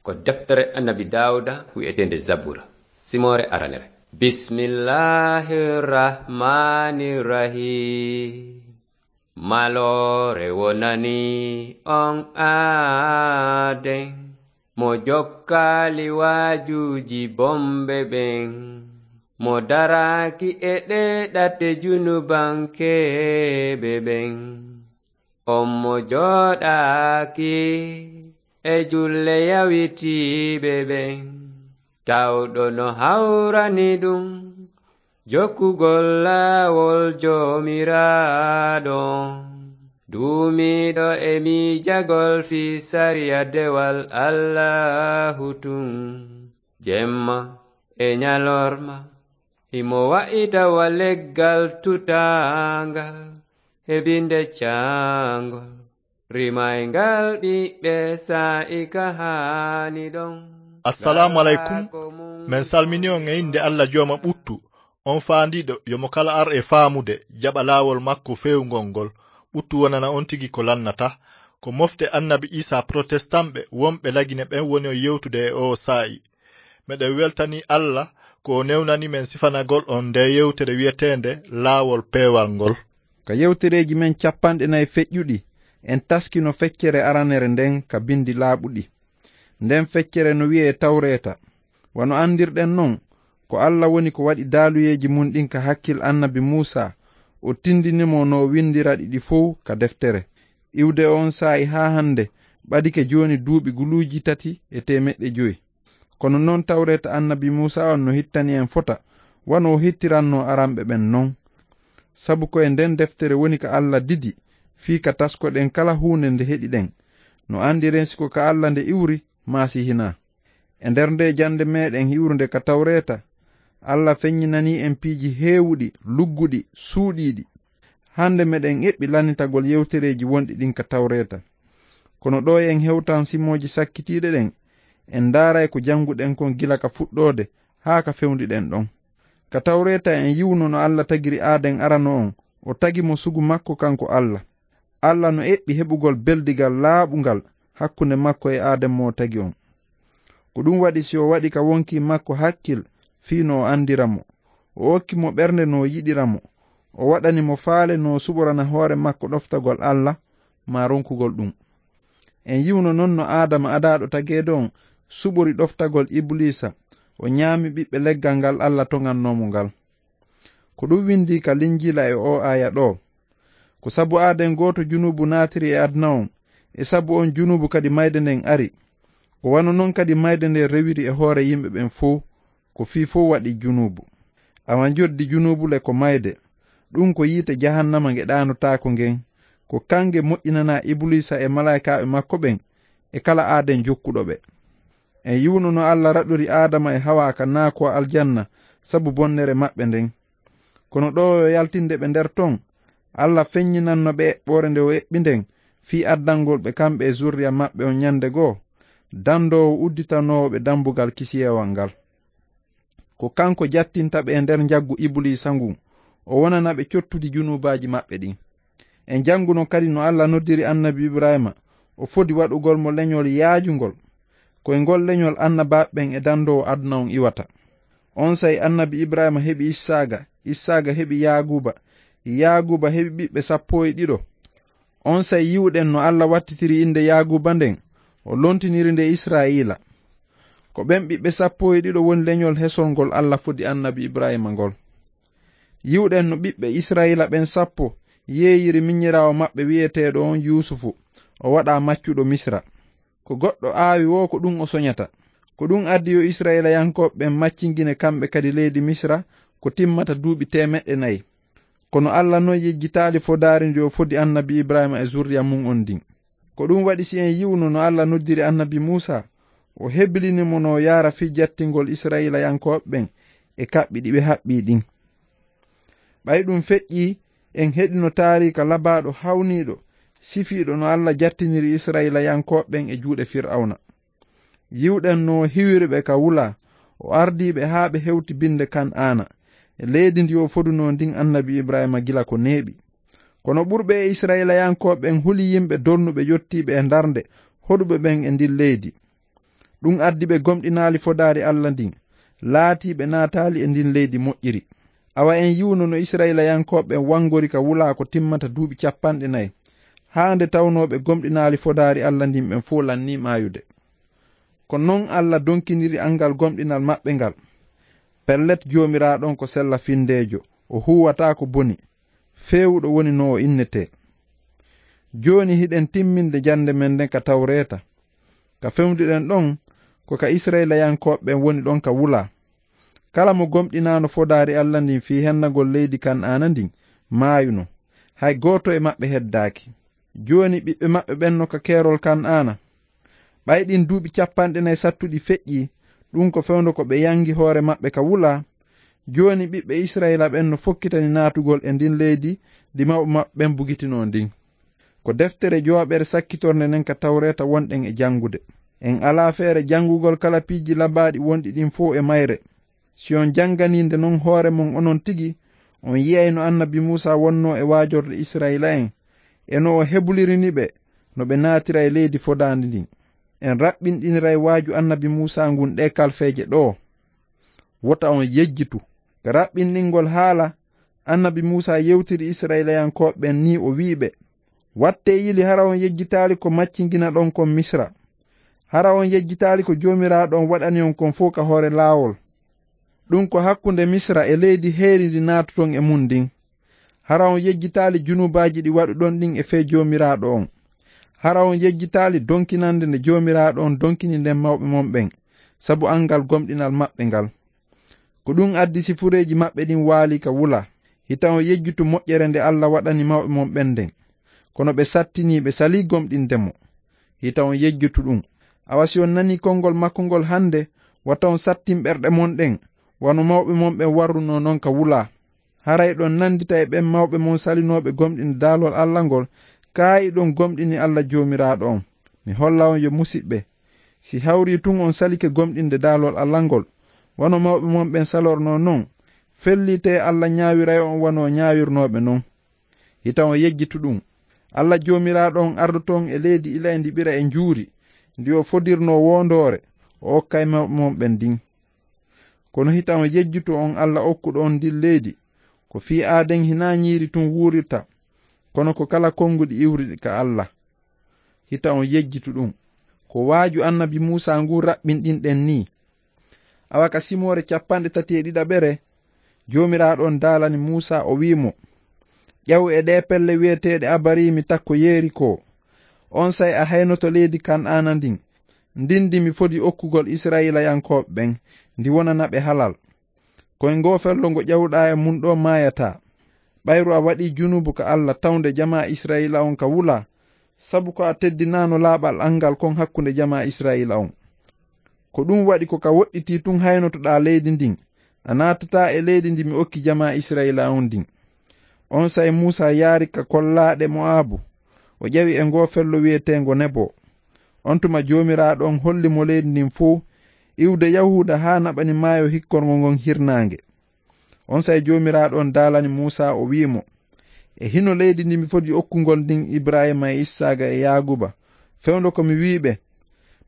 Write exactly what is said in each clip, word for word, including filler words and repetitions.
Ko deftere Annabi Daawuda wi'eteende Zabura, simoore aranere. Bismillahir Rahmanir Rahim. Maloore wonani on aaden, mo jokkaali waajuuji bomɓe ɓen, mo daraaki e ɗee ɗate junubankeeɓe ɓen. On mo jooɗaaki e julle yawitiiɓe ɓen, tawɗo no hawrani ɗum jokkugol laawol Joomiraaɗo on, duumiiɗo e miijagol fii sariya dewal Allaahu tun, jemma e ñalorma. Himo wa'ita wa leggal tutaangal, heɓinde caangol, rimayngal ɓiɓɓe saa'i ka haani ɗon. Assalaamu aleykum. Men salmini on e innde Alla Jooma ɓuttu, on faandiiɗo yo mo kala ar e faamude, jaɓa laawol makko feewngol ngol. Ɓuttu wonana on tigi ko lannata. Ko mofte Annabi Iisaa Protestant ɓe wonɓe Lagine ɓen woni on yewtude e oo saa'i. Meɗen weltani Alla ko o newnani men sifanagol on ndee yewtere wi'eteende Laawol Peewal ngol. Ka yewtereeji men cappanɗe nayi feƴƴuɗi, en taskino feccere aranere nden ka bindi laaɓuɗi. Nden feccere no wi'ee Tawreeta. Wano anndirɗen non, ko Alla woni ko waɗi daaluyeeji mun ɗin ka hakkil Annabi Muusaa, o tindini mo no o windira ɗi ɗi fow ka deftere. Iwde on saa'i haa hande, ɓadike jooni duuɓi guluuji tati e teemeɗɗe jowi. Kono non Tawreeta Annabi Muusaa on no hittani en fota, wano o hittirannoo aranɓe ɓen non. Sabu ko e nden deftere woni ka Alla didi, fii ka taskoɗen kala huunde nde heɗiɗen. No anndiren si ko ka Alla nde iwri, maa si hinaa. E nder ndee jannde meɗen iwrunde ka Tawreeta, Alla feññinanii en piiji heewuɗi, lugguɗi, suuɗiiɗi. Hande meɗen eɓɓi lannitagol yewtereeji wonɗi ɗin ka Tawreeta. Kono ɗoo en hewtan simooji sakkitiiɗe ɗen, en ndaaray ko jannguɗen kon gila ka fuɗɗoode haa ka fewndiɗen ɗon. Ka Tawreeta en yi'uno no Alla tagiri Aaden arano on, o tagi mo sugu makko kanko Alla. Alla no eɓɓi heɓugol beldigal laaɓungal hakkunde makko e Aaden mo o tagi on. Ko ɗum waɗi si o waɗi ka wonkii makko hakkil fii no o anndira mo. O okki mo ɓernde no o yiɗira mo. O waɗani mo faale no o suɓorana hoore makko ɗoftagol Alla, maa ronkugol ɗum. En yi'uno non no Aadama adaaɗo tageede on suɓori ɗoftagol Ibuliisa, o ñaami ɓiɓɓe leggal ngal Alla toŋannoo mo ngal. Ko ɗum windii ka Linjiila e oo aaya ɗoo. Ko sabu aaden gooto junuubu naatiri e aduna on, e sabu on junuubu kadi mayde nden ari. Ko wano non kadi mayde nden rewiri e hoore yimɓe ɓen fow, ko fii fow waɗi junuubu. Awa njoddi junuubu le ko mayde. Ɗum ko yiite jahannama nge ɗaanotaako ngen. Ko kange moƴƴinanaa Ibuliisa e malaa'ikaaɓe makko ɓen, e kala aaden jokkuɗo ɓe. En yi'uno no Alla raɗori Aadama e Hawaa ka naakoo aljanna sabu bonnere maɓɓe nden. Kono ɗoo yo yaltinde ɓe nder ton, Alla feññinanno ɓe eɓɓoore nde o eɓɓi nden fii addangol ɓe kamɓe e zurriya maɓɓe on ñande goo, dandoowo udditanoowo ɓe dambugal kisiyeewal ngal. Ko kanko jattinta ɓe e nder njaggu Ibuliisa ngun, o wonana ɓe cottudi junuubaaji maɓɓe ɗin. En jannguno kadi no Alla noddiri Annabi Ibraahiima, o fodi waɗugol mo leñol yaajungol. Ko e ngol leñol annabaaɓe ɓen e dandoowo aduna on iwata. Onsay Annabi Ibraahiima heɓi Issaaqa, Issaaqa heɓi Yaaquuba, Yaaquuba heɓi ɓiɓɓe sappo e ɗiɗo. Onsay yi'uɗen no Alla wattitiri innde Yaaquuba nden, o lontiniri nde Israa'iila. Ko ɓen ɓiɓɓe sappo e ɗiɗo woni leñol hesol ngol Alla fodi Annabi Ibraahiima ngol. Yi'uɗen no ɓiɓɓe Israa'iila ɓen sappo yeeyiri minyiraawo maɓɓe wi'eteeɗo on Yuusufu, o waɗaa maccuɗo Misra. Ko goɗɗo aawi woo ko ɗum o soñata. Ko ɗum addi yo Israa'iilayankooɓe ɓen maccingine kamɓe kadi leydi Misra ko timmata duuɓi teemeɗɗe nayi. Kono Alla non yejjitaali fodaari ndi o fodi Annabi Ibraahiima e zurriya mun on ndin. Ko ɗum waɗi si en yi'uno no Alla noddiri Annabi Muusaa, o hebilini mo no yaara fii jattingol Israa'iilayankooɓe ɓen e kaɓɓi ɗi ɓe haɓɓii ɗin. Ɓay ɗum feƴƴii, en heɗino taariika labaaɗo hawniiɗo, sifiiɗo no Alla jattiniri Israa'iilayankooɓe ɓen e juuɗe Fir'awna. Yi'uɗen no o hiwiri ɓe ka wula, o ardii ɓe haa ɓe hewti binde Kan'aana, e leydi ndi o fodunoo ndin Annabi Ibraahiima gila ko neeɓi. Kono ɓurɓe e Israa'iilayankooɓe ɓen huli yimɓe dolnuɓe yottiiɓe e darnde hoɗuɓe ɓen e ndin leydi. Ɗum addi ɓe gomɗinaali fodaari Alla ndin, laatii ɓe naataali e ndin leydi moƴƴiri. Awa en yi'uno no Isra'ilayankooɓe ɓen wanngori ka wulaa ko timmata duuɓi capanɗe nayi, haa nde tawnoo ɓe gomɗinaali fodaari Alla ndin ɓen fow lannii maayude. Ko non Alla donkiniri anngal gomɗinal maɓɓe ngal. Pellet, Joomiraaɗo on ko sella-finndeejo, o huuwataa ko boni, feewuɗo woni no o innetee. Jooni hiɗen timminde jannde men nden ka Tawreeta. Ka fewndo ɗen ɗon, ko ka Isra'ilayankooɓe ɓen woni ɗon ka wulaa. Kala mo gomɗinaano fodaari Alla ndin fii hennagol leydi Kan'aana ndin, maayuno. Hay gooto e maɓɓe heddaaki. Jooni ɓiɓɓe maɓɓe ɓen no ka keerol Kan'aana. Ɓay ɗin duuɓi capanɗe nayi sattuɗi feƴƴii, ɗum ko fewndo ko ɓe yangi hoore maɓɓe ka wulaa. Jooni ɓiɓɓe Isra'iila ɓen no fokkitani naatugol e ndin leydi ndi mawɓe maɓɓe ɓen bugitinoo ndin. Ko deftere jooɓere sakkitornde nden ka Tawreeta wonɗen e jangude. En alaa feere jangugol kala piiji labaaɗi wonɗi ɗin fow e mayre. Si on janganii nde non hoore mon onon tigi, on yi'ay no annabi Muusaa wonnoo e waajorde Isra'iila'en, e no o hebulirini ɓe no ɓe naatira e leydi fodaandi ndin. En raɓɓinɗiniray waaju annabi Muusaa ngun ɗee kalfeeje ɗoo. Wota on yejjitu. Ka raɓɓinɗingol haala, annabi Muusaa yewtiri Isra'iilayankooɓe ɓen nii, o wi'i ɓe, "Wattee yili, hara on yejjitaali ko maccinginaɗon kon Misra. Hara on yejjitaali ko Joomiraaɗo on waɗani on kon fow ka hoore laawol. Ɗum ko hakkunde Misra e leydi heeri ndi naatuton e mun ndin. Hara on yejjitaali junubaaji ɗi waɗuɗon ɗin e fee Joomiraaɗo on. Hara on yejjitaali donkinande nde Joomiraaɗo on donkini nden mawɓe mon ɓen, sabu anngal gomɗinal maɓɓe ngal. Ko ɗum addi si fureeji maɓɓe ɗin waali ka wula. Hita on yejjitu moƴƴere nde Alla waɗani mawɓe mon ɓen nden. Kono ɓe sattinii, ɓe salii gomɗinde mo. Hita on yejjitu ɗum. Awa si on nanii konngol makko ngol hannde, wata on sattin ɓerɗe mon ɗen, wano mawɓe mon ɓen warrunoo non ka wula. Haray ɗon nanndita e ɓen mawɓe mon salinooɓe gomɗinde daalol Alla ngol, kaa hiɗon gomɗini Alla Joomiraaɗo on. Mi holla on yo musiɓɓe. Si hawrii tun on salike gomɗinde daalol Alla ngol, wano mawɓe mon ɓen salornoo non, fellitee Alla ñaawiray on wano ñaawirnooɓe non. Hita on yejjitu ɗum. Alla Joomiraaɗo on ardoto on e leydi ilay ndi ɓira e njuuri, ndi o fodirnoo woondoore, o okkay mawɓe mon ɓen ndin. Kono hita on yejjitu on Alla okkuɗo on ndin leydi, ko fii aaden hinaa ñiiri tun wuurirta, kono ko kala konnguɗi iwruɗi ka Alla. Hita on yejjitu ɗum. Ko waaju annabi Muusaa ngun raɓɓinɗinɗen nii. Awa ka simoore capanɗe tati e ɗiɗaɓere, Joomiraaɗo on daalani Muusaa, o wi'i mo, "Ƴaw e ɗee pelle wi'eteeɗe Abariimi takko Yerikoo. Onsay a haynoto leydi Kan'aana ndin, ndin ndi mi fodi okkugol Isra'iilayankooɓe ɓen, ndi wonana ɓe halal. Ko e ngoo fello ngo ƴawɗaa e mun ɗoo maayataa. Ɓayru a waɗii junubu ka Alla tawnde jamaa Isra'iila on ka wula, sabu ko a teddinaano laaɓal an ngal kon hakkunde jamaa Isra'iila on. Ko ɗum waɗi ko ka woɗɗitii tun haynotoɗaa leydi ndin. A naatataa e leydi ndi mi okki jamaa Isra'iila on ndin." Onsay Muusaa yaari ka kollaaɗe Mo'abu, o ƴawi e ngoo fello wi'eteengo Nebo. On tuma Joomiraaɗo on holli mo leydi ndin fow, iwde Yahuuda haa naɓani maayo hikkorngo ngon hirnaange. Onsay Joomiraaɗo on daalani Muusaa, o wi'i mo, "E hino leydi ndi mi fodi okkugol ndin Ibrahiima e Issaaqa e Yaaquuba, fewndo ko mi wi'i ɓe,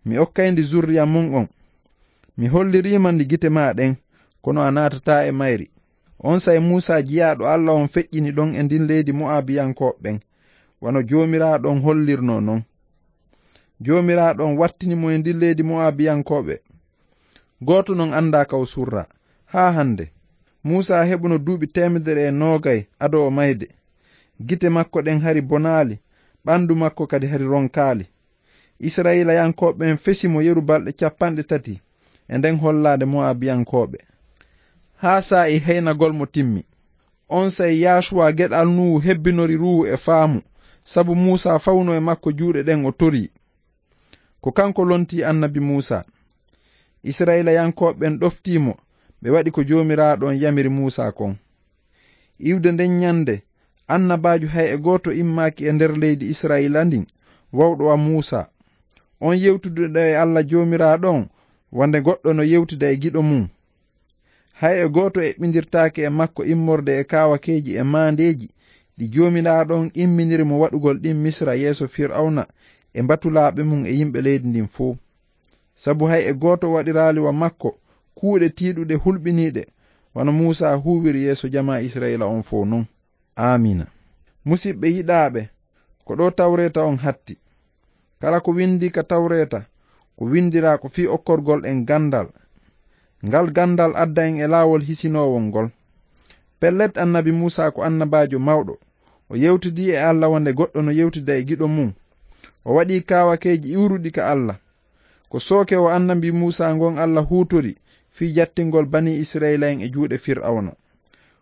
'Mi okkay ndi zurriya mon on.' Mi hollirii ma ndi gite maa ɗen, kono a naatataa e mayri." Onsay Muusaa jiyaaɗo Alla on feƴƴini ɗon e ndin leydi Mo'abiyankooɓe ɓen, wano Joomiraaɗo on hollirnoo non. Joomiraaɗo on wattini mo e ndin leydi Mo'abiyankooɓe. Gooto non anndaa ka o surraa haa hannde. Muusaa heɓuno duuɓi teemedere e noogay ado o mayde. Gite makko ɗen hari bonaali, ɓandu makko kadi hari ronkaali. Isra'iilayankooɓe ɓen fesi mo yeru balɗe capanɗe tati e nden hollaade Mo'abiyankooɓe, haa saa'i heynagol mo timmi. Onsay Yaasuwa geɗal Nuhu hebbinori ruuhu e faamu, sabu Muusaa fawno e makko juuɗe ɗen, o torii. Ko kanko lontii annabi Muusaa. Isra'iilayankooɓe ɓen ɗoftii mo, ɓe waɗi ko Joomiraaɗo on yamiri Muusaa kon. Iwde nden ɲande, annabaajo hay e gooto immaaki e nder leydi Isra'iila ndin, wawɗo wa Muusaa. On yewtuduɗo e Alla Joomiraaɗo on, wonde goɗɗo no yewtida e giɗo mum. Hay e gooto eɓɓindirtaake e makko immorde e kaawakeeji e maandeeji ɗi Joomiraaɗo on imminiri mo waɗugol ɗin Misra yeeso Fir'awna e mbatulaaɓe mum e yimɓe leydi ndin fow. Sabu hay e gooto waɗiraali wa makko kuuɗe tiiɗuɗe hulɓiniiɗe, wano Muusaa huuwiri yeeso jamaa Isra'iila on fow non. Aamiina. Musiɓɓe yiɗaaɓe, ko ɗoo Tawreeta on hatti. Kala ko winndii ka Tawreeta, ko winndiraa ko fii okkorgol en ganndal. Ngal ganndal adda en e laawol hisinoowol ngol. Pellet, Annabi Muusaa ko annabaajo mawɗo. O yewtidii e Alla wonde goɗɗo no yewtida e giɗo mum. O waɗii kaawakeeji iwruɗi ka Alla. Ko sooke o Annabi Muusaa ngon Alla huutori fii jattingol Banii Isra'iila en e juuɗe Fir'awna.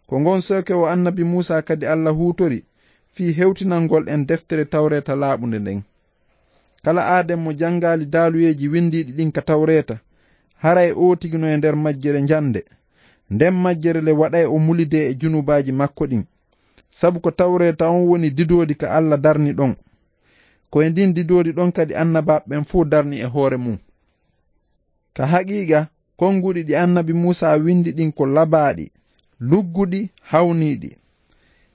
Ko ngon sooke o Annabi Muusaa kadi Alla huutori fii hewtinangol en deftere Tawreeta laaɓunde nden. Kala aaden mo janngaali daaluyeeji winndiiɗi ɗin ka Tawreeta, haray oo tigi no e nder majjere njannde. Nden majjere le waɗay o mulidee e junubaaji makko ɗin. Sabu ko Tawreeta on woni didoodi ka Alla darni ɗon. Ko e ndin didoodi ɗon kadi annabaaɓe ɓen fow darni e hoore mum. Ka haqiiqa, konnguɗi ɗi Annabi Muusaa winndi ɗin ko labaaɗi, lugguɗi, hawniiɗi.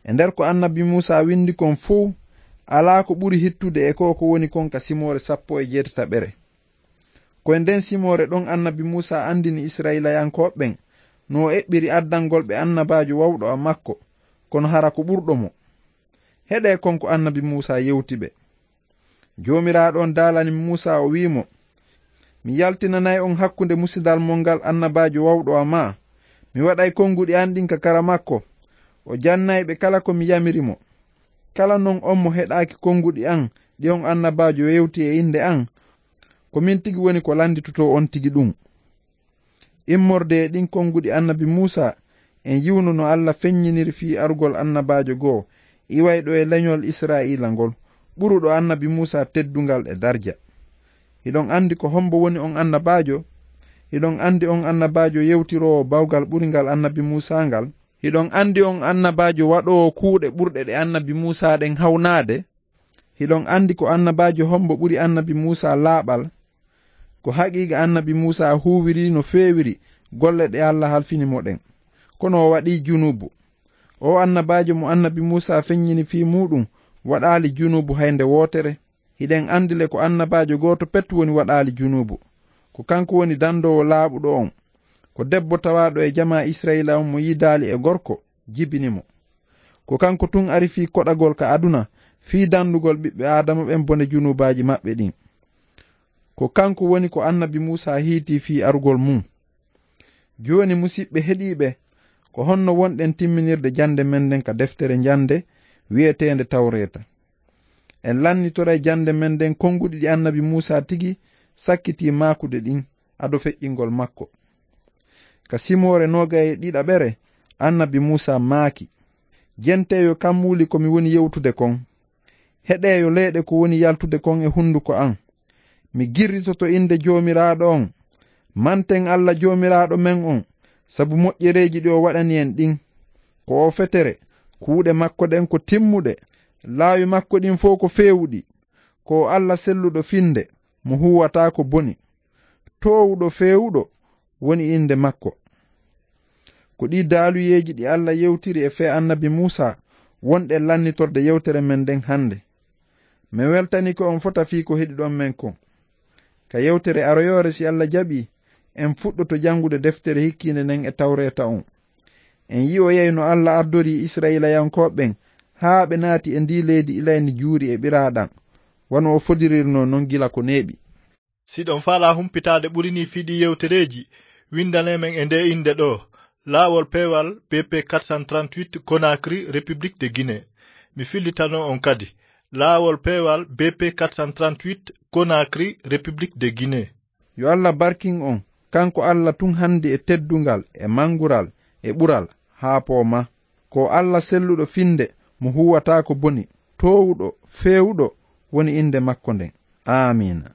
E nder ko Annabi Muusaa winndi kon fow, alaa ko ɓuri hittude e ko ko woni kon ka simoore sappo e jeetataɓere. Ko e nden simoore ɗon Annabi Muusaa anndini Isra'iilayankooɓe ɓen no o eɓɓiri addangol ɓe annabaajo wawɗo a makko, kono hara ko ɓurɗo mo. Heɗee kon ko Annabi Muusaa yewti ɓe. Joomiraaɗo on daalani Muusaa, o wi'i mo, "Mi yaltinanay on hakkunde musidal mon ngal annabaajo wawɗo a maa. Mi waɗay konnguɗi an ɗin ka kara makko. O jannay ɓe kala ko mi yamiri mo. Kala non on mo heɗaaki konnguɗi an ɗi on annabaajo yewti e innde an, ko min tigi woni ko lannditotoo on tigi ɗum." Immorde e ɗin konnguɗi Annabi Muusaa, en yi'uno no Alla feññiniri fii arugol annabaajo goo iwayɗo e leñol Isra'iila ngol, ɓuruɗo Annabi Muusaa teddungal e darja. Hiɗon anndi ko hombo woni on annabaajo? Hiɗon anndi on annabaajo yewtiroowo bawgal ɓuringal Annabi Muusaa ngal? Hiɗon anndi on annabaajo waɗoowo kuuɗe ɓurɗe ɗe Annabi Muusaa ɗen hawnaade? Hiɗon anndi ko annabaajo hombo ɓuri Annabi Muusaa laaɓal? Ko haqiiqa Annabi Muusaa huuwiri no feewiri golle ɗe Alla halfini mo ɗen. Kono o waɗii junuubu. O annabaajo mo Annabi Muusaa feññini fii muuɗum waɗaali junuubu hay nde wootere. Hiɗen anndi le ko annabaajo gooto pet woni waɗaali junuubu. Ko kanko woni dandoowo laaɓuɗo on. Ko debbo tawaaɗo e jamaa Isra'iila on mo yiidaali e gorko jibini mo. Ko kanko tun ari fii koɗagol ka aduna, fii dandugol ɓiɓɓe Aadama ɓen bone junuubaaji maɓɓe ɗin. Ko kanko woni ko Annabi Muusaa hiitii fii arugol mum. Jooni, musiɓɓe heɗiiɓe, ko honno wonɗen timminirde jannde men nden ka deftere njannde wi'eteende Tawreeta? En lannitoray jannde men nden konnguɗi ɗi Annabi Muusaa tigi sakkitii maakude ɗin ado feƴƴingol makko. Ka simoore noogay e ɗiɗaɓere, Annabi Muusaa maaki, "Jenteeyo kammuuli ko mi woni yewtude kon. Heɗeeyo leeɗe ko woni yaltude kon e hunduko an. Mi girritoto innde Joomiraaɗo on. Manten Alla Joomiraaɗo men on, sabu moƴƴereeji ɗi o waɗani en ɗin. Ko o fetere, kuuɗe makko ɗen ko timmuɗe, laawi makko ɗin fow ko feewuɗi. Ko o Alla selluɗo finde, mo huuwataa ko boni. Toowuɗo feewuɗo woni innde makko." Ko ɗii daaluyeeji ɗi Alla yewtiri e fee Annabi Muusaa wonɗen lannitorde yewtere men nden hannde. Mi weltanii ko on fota fii ko heɗiɗon men kon. Ka yewtere aroyoore, si Alla jaɓii, en fuɗɗoto janngude deftere hikkiinde nden e Tawreeta on. En yi'oyay no Alla ardorii Isra'iilayankooɓe ɓen haa ɓe naati e ndii leydi ilayndi njuuri e ɓiraaɗam, wano o fodirirnoo non gila ko neeɓi. Si ɗon faalaa humpitaade ɓuri nii fii ɗii yewtereeji, winndanee men e ndee innde ɗoo, Laawol Peewal B P quatre cent trente-huit, Conakry, République de Guinée. Mi fillitano on kadi, Laawol Peewal B P quatre cent trente-huit, Conakry, République de Guinée. Yo Alla barkin on, kanko Alla tun hanndi e teddungal, e manngural, e ɓural, haa pooma. Ko Alla selluɗo finde, mo huuwataa ko boni, toowuɗo, feewuɗo, woni innde makko nden. Aamiina.